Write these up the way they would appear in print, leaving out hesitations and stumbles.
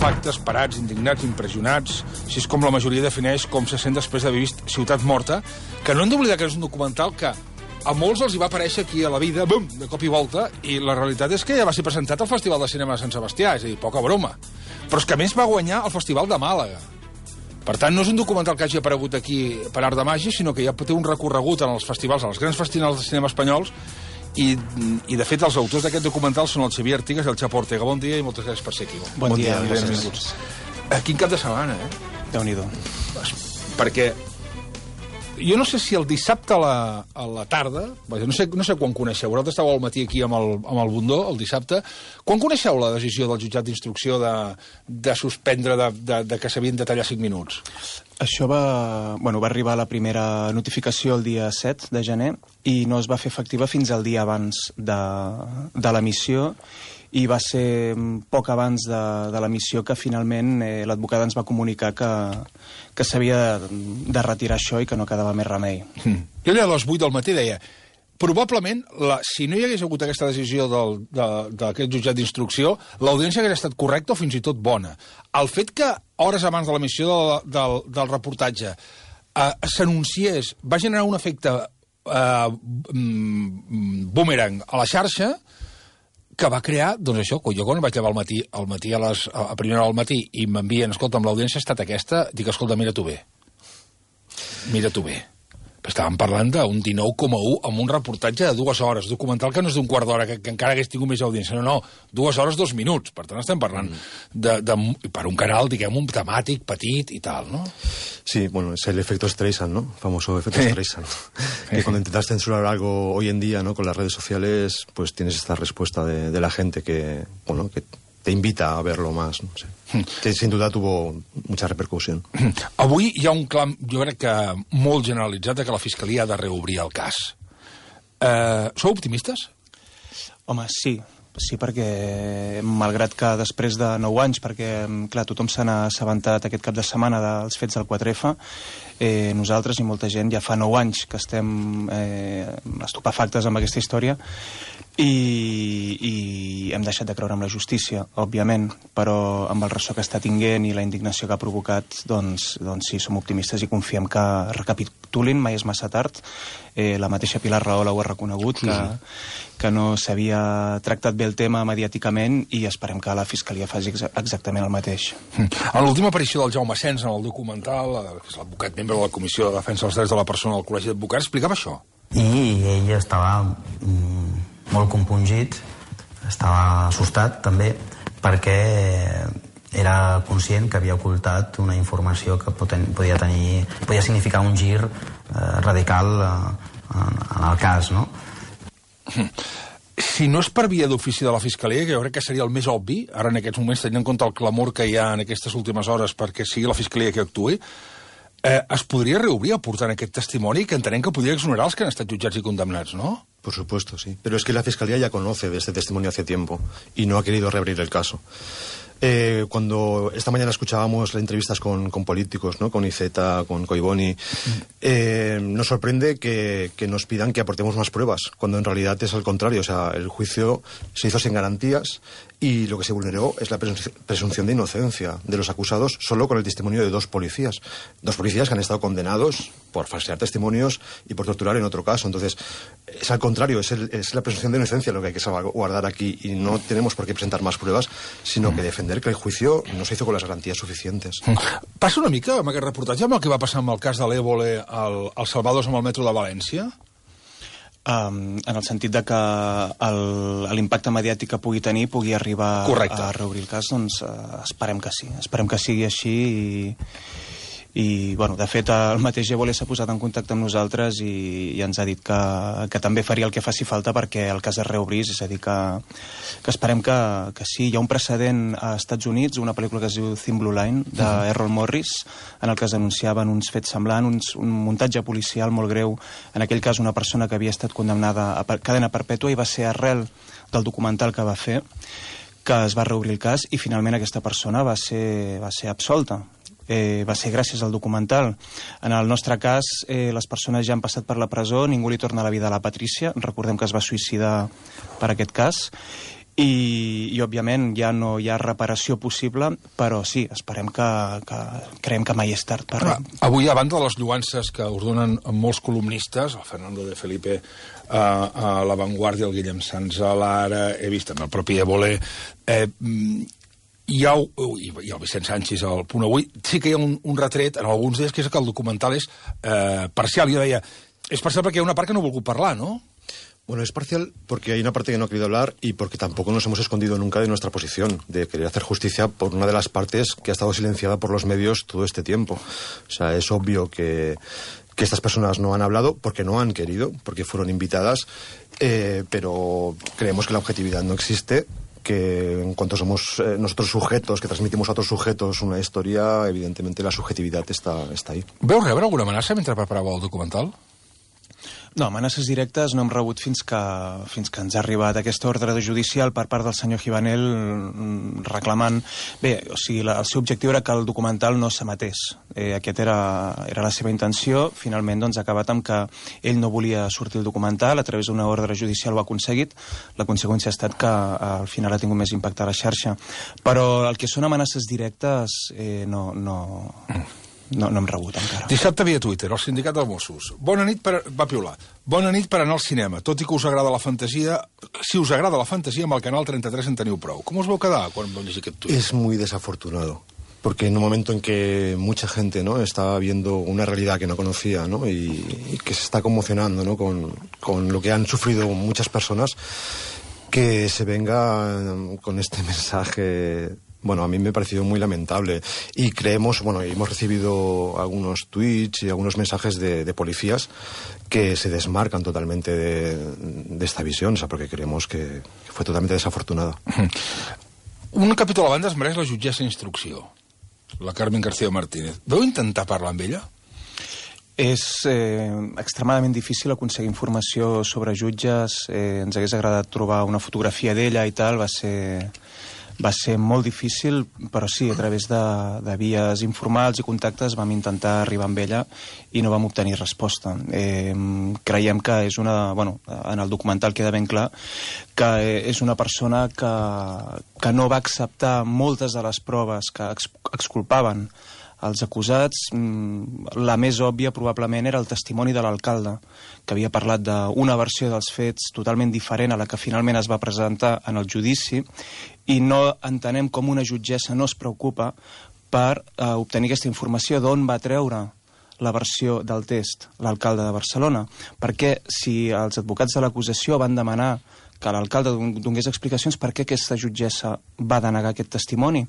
estupefactes, parats, indignats, impressionats. Així és com la majoria defineix com se sent després d'haver vist Ciutat Morta, que no hem d'oblidar que és un documental que a molts els hi va aparèixer aquí a la vida, bum, de cop i volta, i la realitat és que ja va ser presentat al Festival de Cinema de Sant Sebastià, és a dir, poca broma. Però és que a més va guanyar el Festival de Màlaga. Per tant, no és un documental que hagi aparegut aquí per art de màgia, sinó que ja té un recorregut en els festivals, en els grans festivals de cinema espanyols, i de fet els autors d'aquest documental són el Xavier Artigas i el Chapo Ortega. Bon dia i moltes gràcies per ser aquí. Bon dia. Benvinguts. Quin cap de setmana, Déu-n'hi-do. Perquè jo no sé si el dissabte a la tarda, no sé quan coneixeu, vosaltres estàveu al matí aquí amb el Bundó, el dissabte, quan coneixeu la decisió del jutjat d'instrucció de suspendre, de que s'havien de tallar 5 minuts? Això va arribar la primera notificació el dia 7 de gener i no es va fer efectiva fins al dia abans de l'emissió, i va ser poc abans de l'emissió que finalment l'advocat ens va comunicar que s'havia de retirar això i que no quedava més remei. Jo a les 8 del matí deia, probablement, si no hi hagués hagut aquesta decisió d'aquest jutjat d'instrucció, l'audiència hagués estat correcta o fins i tot bona. El fet que hores abans de l'emissió del reportatge s'anunciés va generar un efecte boomerang a la xarxa que va crear, doncs això, jo quan vaig llevar al matí a primera hora del matí i m'envien, escolta, amb l'audiència ha estat aquesta, dic, escolta, mira tu bé. Estàvem parlant d'un 19,1 amb un reportatge de 2 hores, documental que no és d'un quart d'hora, que encara hagués tingut més audiència. No, 2 hores, 2 minuts. Per tant, estem parlant per un canal, diguem, temàtic, petit i tal, ¿no? Sí, bueno, es el efecto Streisand, ¿no? Famoso efecto Streisand. Que cuando intentas censurar algo hoy en día, ¿no? Con las redes sociales, pues tienes esta respuesta de la gente que, bueno, que te invita a verlo más, no sé. Que sin duda tuvo mucha repercusión. Avui hi ha un clam, jo crec que molt generalitzat, de que la Fiscalia ha de reobrir el cas. Sou optimistes? Home, sí, perquè malgrat que després de 9 anys, perquè clar, tothom se n'ha assabentat aquest cap de setmana dels fets del 4F, nosaltres i molta gent ja fa 9 anys que estem estupefactes amb aquesta història i hem deixat de creure en la justícia, òbviament, però amb el ressò que està tinguent i la indignació que ha provocat, doncs sí, som optimistes i confiem que recapitulin, mai és massa tard. La mateixa Pilar Rahola ho ha reconegut, que no s'havia tractat bé el tema mediàticament, i esperem que la Fiscalia faci exactament el mateix. En l'última aparició del Jaume Sens en el documental, que és l'advocat membre de la Comissió de Defensa dels Drets de la Persona del Col·legi d'Advocats, explicava això. I ell estava molt compungit, estava assustat també, perquè era conscient que havia ocultat una informació que podia significar un gir radical en el cas, no? Si no és per via d'ofici de la Fiscalia, que jo crec que seria el més obvi, ara en aquests moments, tenint en compte el clamor que hi ha en aquestes últimes hores perquè sigui la Fiscalia que actuï, es podria reobrir aportant aquest testimoni que entenem que podria exonerar els que han estat jutjats i condemnats, ¿no? Por supuesto, sí. Pero es que la Fiscalía ya conoce de este testimonio hace tiempo y no ha querido reabrir el caso. Cuando esta mañana escuchábamos las entrevistas con políticos, ¿no? Con Iceta, con Collboni, nos sorprende que nos pidan que aportemos más pruebas, cuando en realidad es al contrario. O sea, el juicio se hizo sin garantías y lo que se vulneró es la presunción de inocencia de los acusados solo con el testimonio de 2 policías. 2 policías que han estado condenados por falsear testimonios y por torturar en otro caso. Entonces, es al contrario, es la presunción de inocencia lo que hay que salvaguardar aquí, y no tenemos por qué presentar más pruebas, sino que defender que el juicio no se hizo con las garantías suficientes. Passa una mica amb aquest reportatge amb el que va passar amb el cas de l'Évole als Salvadors amb el metro de València? En el sentit de que l'impacte mediàtic que pugui tenir pugui arribar a reobrir el cas, doncs esperem que sí. Esperem que sigui així i bueno, de fet el mateix Évole s'ha posat en contacte amb nosaltres i ens ha dit que també faria el que faci falta perquè el cas es reobrís, és a dir que esperem que sí. Hi ha un precedent a Estats Units, una pel·lícula que es diu Thin Blue Line, d'Errol Morris, en el que es denunciaven uns fets semblants, un muntatge policial molt greu, en aquell cas una persona que havia estat condemnada a cadena perpètua, i va ser arrel del documental que va fer que es va reobrir el cas i finalment aquesta persona va ser absolta. Va ser gràcies al documental. En el nostre cas, les persones ja han passat per la presó, ningú li torna la vida a la Patrícia, recordem que es va suïcidar per aquest cas, i òbviament ja no hi ha reparació possible, però sí, esperem creiem que mai és tard per res. Avui, a banda de les lluances que us donen molts columnistes, el Fernando de Felipe a La Vanguardia, el Guillem Sans a l'Ara, he vist també el propi Évole, i el Vicent Sánchez al Punt Avui, sí que hi ha un retret en alguns d'ells, que és que el documental és parcial. Jo deia, és parcial perquè hi ha una part que no ha volgut parlar, no? Bueno, es parcial porque hay una parte que no ha querido hablar y porque tampoco nos hemos escondido nunca de nuestra posición, de querer hacer justicia por una de las partes que ha estado silenciada por los medios todo este tiempo. O sea, es obvio que estas personas no han hablado porque no han querido, porque fueron invitadas, pero creemos que la objetividad no existe, que en cuanto somos nosotros sujetos, que transmitimos a otros sujetos una historia, evidentemente la subjetividad está ahí. Veu rebre alguna amenaça mentre preparàveu el documental? No, amenaces directes no hem rebut fins que ens ha arribat aquesta ordre judicial per part del senyor Givanel reclamant... Bé, o sigui, el seu objectiu era que el documental no s'emetés. Aquest era la seva intenció. Finalment, doncs, ha acabat amb que ell no volia sortir el documental, a través d'una ordre judicial ho ha aconseguit. La conseqüència ha estat que al final ha tingut més impacte a la xarxa. Però el que són amenaces directes no hem rebut encara. Dissabte via Twitter, el sindicat dels Mossos. Va piular. Bona nit per anar al cinema. Tot i que us agrada la fantasia, si us agrada la fantasia, amb el canal 33 en teniu prou. Com us vau quedar quan vau llegir aquest tuit? Es muy desafortunado. Porque en un momento en que mucha gente, ¿no?, está viendo una realidad que no conocía, ¿no?, y que se está conmocionando, ¿no?, con lo que han sufrido muchas personas, que se venga con este mensaje... Bueno, a mí me ha parecido muy lamentable y creemos, hemos recibido algunos tweets y algunos mensajes de policías que se desmarcan totalmente de esta visión, o sea, porque creemos que fue totalmente desafortunada. Un capítol a banda es mereix la jutgessa d'instrucció, la Carmen García Martínez. Vau intentar parlar amb ella? És extremadament difícil aconseguir informació sobre jutges. Ens hagués agradat trobar una fotografia d'ella i tal, va ser molt difícil, però sí, a través de vies informals i contactes vam intentar arribar amb ella i no vam obtenir resposta. Creiem que és en el documental queda ben clar que és una persona que no va acceptar moltes de les proves que exculpaven els acusats. La més òbvia probablement era el testimoni de l'alcalde, que havia parlat d'una versió dels fets totalment diferent a la que finalment es va presentar en el judici, i no entenem com una jutgessa no es preocupa per obtenir aquesta informació d'on va treure la versió del test l'alcalde de Barcelona. Perquè si els advocats de l'acusació van demanar que l'alcalde donés explicacions, per què aquesta jutgessa va denegar aquest testimoni?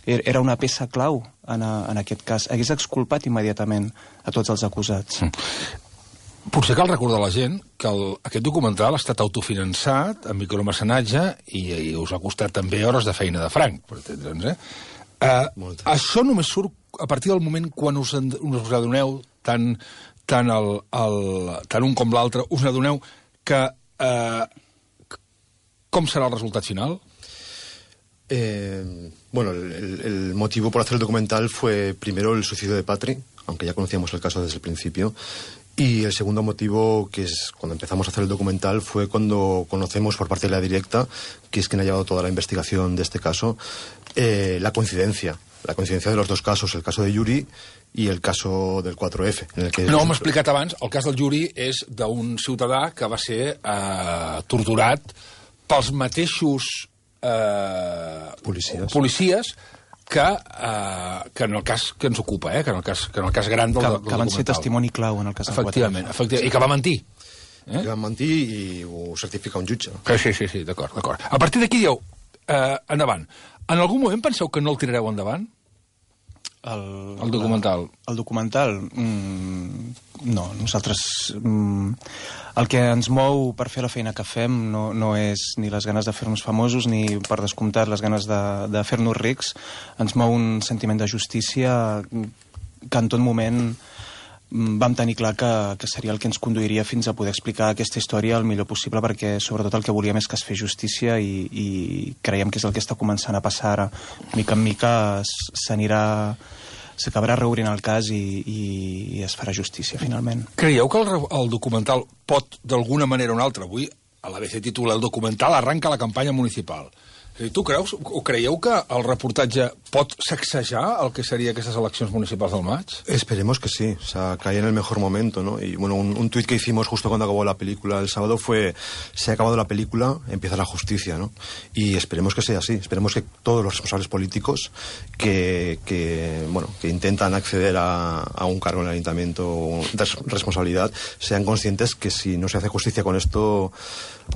Era una peça clau en aquest cas. Hagués exculpat immediatament a tots els acusats. Potser cal recordar a la gent que aquest documental ha estat autofinançat amb micromecenatge i us ha costat també hores de feina de franc, per entendre'ns, això només surt a partir del moment quan us adoneu, tant un com l'altre, us adoneu que com serà el resultat final? Bueno, el motivo por hacer el documental fue primero el suicidio de Patri, aunque ya conocíamos el caso desde el principio, y el segundo motivo, que es cuando empezamos a hacer el documental, fue cuando conocemos por parte de la directa, que es quien ha llevado toda la investigación de este caso, la coincidencia de los dos casos, el caso de Yuri i el caso del 4F. En el que no, m'he explicat abans, el cas del Yuri és d'un ciutadà que va ser torturat pels mateixos policies que en el cas que ens ocupa, que en el cas gran del documental. Que van ser testimoni clau en el cas del 4F. Efectivament, i que va mentir. Que va mentir i ho certifica un jutge. Sí, d'acord. A partir d'aquí dieu, endavant. En algun moment penseu que no el tirareu endavant? El documental. El documental? No, nosaltres... El que ens mou per fer la feina que fem no és ni les ganes de fer-nos famosos ni, per descomptat, les ganes de fer-nos rics. Ens mou un sentiment de justícia que en tot moment vam tenir clar que seria el que ens conduiria fins a poder explicar aquesta història el millor possible, perquè sobretot el que volíem és que es fes justícia i creiem que és el que està començant a passar ara. Mica en mica s'acabarà reobrint el cas i es farà justícia finalment. Creieu que el documental pot, d'alguna manera o una altra, avui a l'ABC titula el documental Arranca la campanya municipal. Tu creus o creieu que el reportatge pot sacsejar el que sería aquestes eleccions municipals del maig? Esperemos que sí, o sea, cae en el mejor momento, ¿no? Y bueno, un tuit que hicimos justo cuando acabó la película el sábado fue: se ha acabado la película, empieza la justicia, ¿no? Y esperemos que sea así, esperemos que todos los responsables políticos que intentan acceder a un cargo en el ayuntamiento de responsabilidad sean conscientes que si no se hace justicia con esto,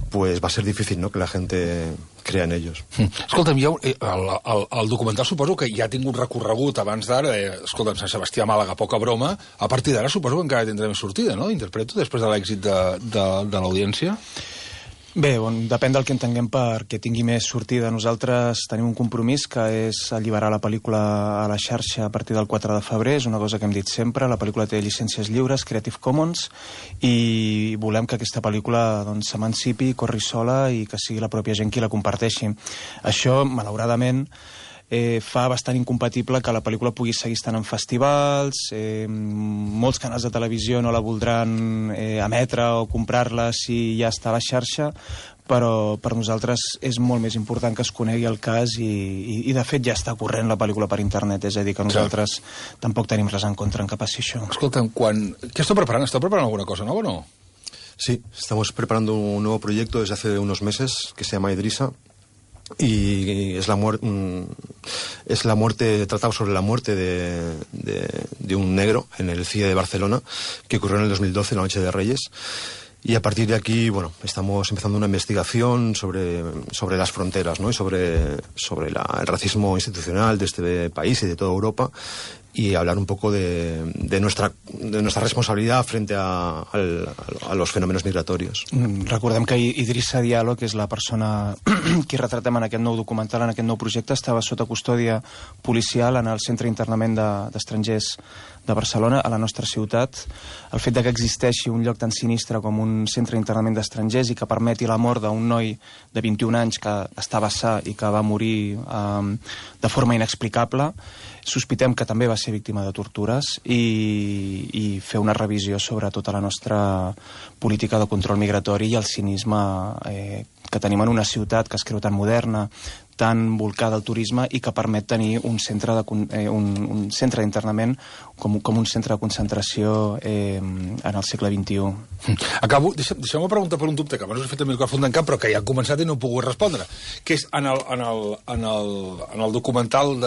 pues va a ser difícil, ¿no?, que la gente crea en ellos. Escolta'm, el documental suposo que ja ha tingut recorregut abans d'ara, escolta'm, Sant Sebastià, Màlaga, poca broma, a partir d'ara suposo que encara tindrà més sortida, no? Interpreto, després de l'èxit de l'audiència. Bé, depèn del que entenguem perquè tingui més sortida. Nosaltres tenim un compromís que és alliberar la pel·lícula a la xarxa a partir del 4 de febrer, és una cosa que hem dit sempre, la pel·lícula té llicències lliures, Creative Commons, i volem que aquesta pel·lícula s'emancipi, corri sola i que sigui la pròpia gent qui la comparteixi. Això, malauradament, fa bastant incompatible que la pel·lícula pugui seguir estant en festivals, molts canals de televisió no la voldran emetre o comprar-la si ja està a la xarxa, però per nosaltres és molt més important que es conegui el cas i de fet ja està corrent la pel·lícula per internet, és a dir, que nosaltres tampoc tenim res en contra en que passi això. Escolta'm, què esteu preparant? Esteu preparant alguna cosa nova o no? Sí, estamos preparando un nuevo proyecto desde hace unos meses que se llama Idrissa. Y es la muerte, tratado sobre la muerte de un negro en el CIE de Barcelona, que ocurrió en el 2012, la Noche de Reyes. Y a partir de aquí, bueno, estamos empezando una investigación sobre las fronteras, ¿no?, y sobre el racismo institucional de este país y de toda Europa, y hablar un poco de nuestra responsabilidad frente a los fenómenos migratorios. Recordem que Idrissa Diallo, que és la persona que retratem en aquest nou documental, en aquest nou projecte, estava sota custòdia policial en el centre d'internament d'estrangers de Barcelona, a la nostra ciutat. El fet que existeixi un lloc tan sinistre com un centre d'internament d'estrangers i que permeti la mort d'un noi de 21 anys que estava sa i que va morir de forma inexplicable, sospitem que també va ser víctima de tortures, i fer una revisió sobre tota la nostra política de control migratori i el cinisme que tenim en una ciutat que es creu tan moderna, tan volcada al turisme i que permet tenir un centre d'internament com un centre de concentració en el segle XXI. Acabo, deixeu-me preguntar per un dubte que abans us he fet el micròfon d'en cap però que ja ha començat i no he pogut respondre, que és en el documental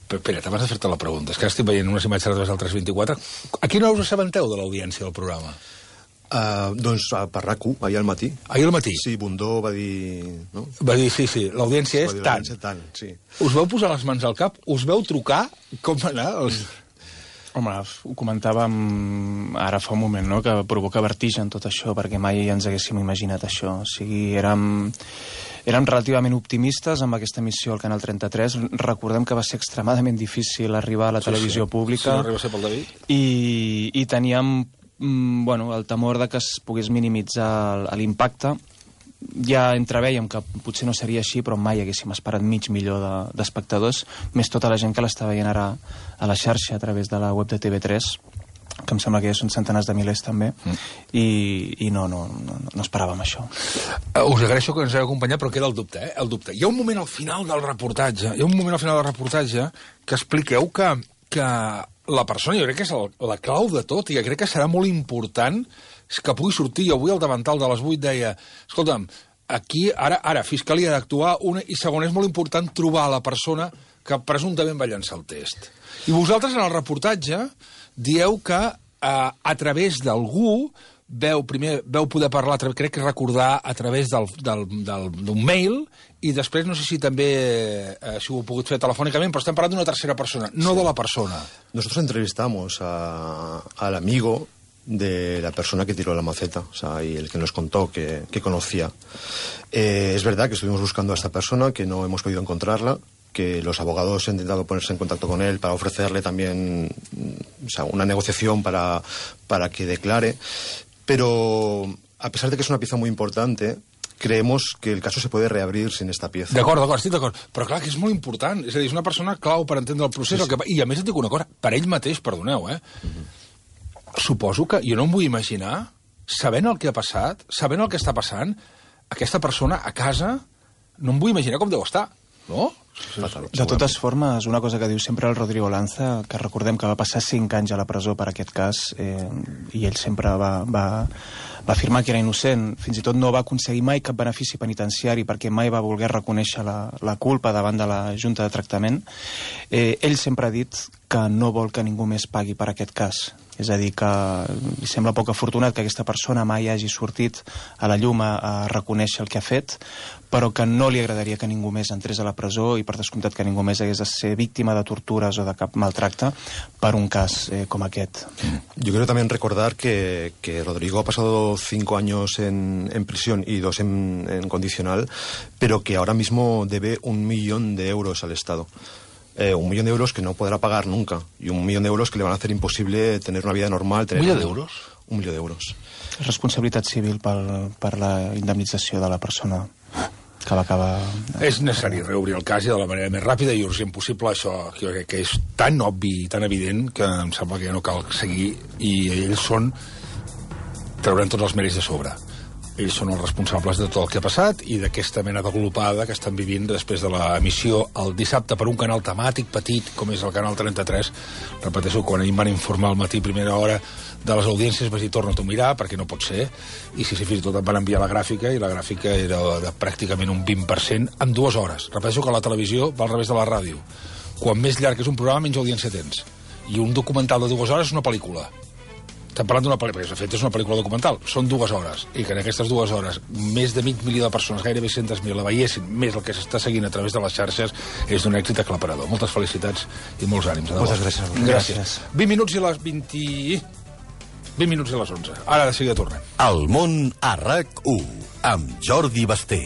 Espera't, abans de fer-te la pregunta, és que ara estic veient unes imatges a través del 324. A quina hora us assabenteu de l'audiència del programa? Doncs per RAC1, ahir al matí. Ahir al matí? Sí, Bundó va dir... No? Va dir, sí, l'audiència és tant. Sí. Us veu posar les mans al cap? Us veu trucar? Com va anar? Home, ho comentàvem ara fa un moment, no?, que provoca vertigen tot això, perquè mai ens haguéssim imaginat això. O sigui, érem relativament optimistes amb aquesta missió al Canal 33. Recordem que va ser extremadament difícil arribar a la televisió pública. Si no arriba a ser pel David. I teníem el temor de que es pogués minimitzar l'impacte. Ja entreveiem que potser no seria així, però mai haguéssim esperat mig milió d'espectadors, més tota la gent que l'està veient ara a la xarxa a través de la web de TV3, que em sembla que ja són centenars de milers també, i no esperàvem això. Us agraeixo que ens heu acompanyat, però queda el dubte, el dubte. Hi ha un moment al final del reportatge, que expliqueu que la persona, jo crec que és la clau de tot, i jo crec que serà molt important que pugui sortir. Jo avui al davantal de les 8 deia, escolta'm, aquí ara Fiscalia ha d'actuar, i segon, és molt important trobar la persona que presumptament va llançar el test. I vosaltres en el reportatge dieu que a través d'algú veu poder parlar, crec que recordar a través d'un mail, i després no sé si també si ho heu pogut fer telefònicament, però estem parlant d'una tercera persona, no de la persona. Nosotros entrevistamos al amigo de la persona que tiró la maceta, o sea, y el que nos contó que conocía. Es verdad que estuvimos buscando a esta persona, que no hemos podido encontrarla, que los abogados han intentado ponerse en contacto con él para ofrecerle también, o sea, una negociación para que declare, pero a pesar de que es una pieza muy importante, creemos que el caso se puede reabrir sin esta pieza. D'acord, estic d'acord. Però clar, que és molt important. És a dir, és una persona clau per entendre el procés. Sí. I a més et dic una cosa, per ell mateix, perdoneu, suposo que jo no em vull imaginar sabent el que ha passat, sabent el que està passant, aquesta persona a casa no em vull imaginar com deu estar, no? De totes formes, una cosa que diu sempre el Rodrigo Lanza, que recordem que va passar 5 anys a la presó per aquest cas, i ell sempre va afirmar que era innocent, fins i tot no va aconseguir mai cap benefici penitenciari perquè mai va voler reconèixer la culpa davant de la Junta de Tractament. Ell sempre ha dit que no vol que ningú més pagui per aquest cas. És a dir, que li sembla poc afortunat que aquesta persona mai hagi sortit a la llum a reconèixer el que ha fet, però que no li agradaria que ningú més entrés a la presó i per descomptat que ningú més hagués de ser víctima de tortures o de cap maltracte per un cas como aquest. Yo quiero también recordar que Rodrigo ha pasado 5 años en prisión y 2 en condicional, pero que ahora mismo debe 1 millón de euros al Estado. 1 millón de euros que no podrá pagar nunca y 1 millón de euros que le van a hacer imposible tener una vida normal. ¿1 millón d'euros? 1 milió d'euros. Responsabilitat civil per la indemnització de la persona que va acabar... És necessari reobrir el cas i de la manera més ràpida i urgent possible. Això que és tan obvi i tan evident que em sembla que ja no cal seguir, i ells trauran tots els mèrits de sobre. Ells són els responsables de tot el que ha passat i d'aquesta mena de glopada que estan vivint després de l'emissió el dissabte per un canal temàtic petit com és el canal 33. Repeteixo, quan ahir em van informar al matí primera hora de les audiències vaig dir torna-t'ho a mirar perquè no pot ser, i sí, fins i tot em van enviar la gràfica i la gràfica era de pràcticament un 20% en 2 hores. Repeteixo que la televisió va al revés de la ràdio. Quan més llarg és un programa menys audiència tens, i un documental de 2 hores és una pel·lícula. Estem parlant d'una pel·lícula, perquè de fet és una pel·lícula documental, són 2 hores, i que en aquestes 2 hores més de 500.000 de persones, gairebé 100.000, la veiessin, més el que s'està seguint a través de les xarxes, és d'un èxit aclaparador. Moltes felicitats i molts ànims. Moltes gràcies. Gràcies. 20 minuts i les 20 minuts i les 11. Ara de seguida tornem. El món a RAC1, amb Jordi Basté.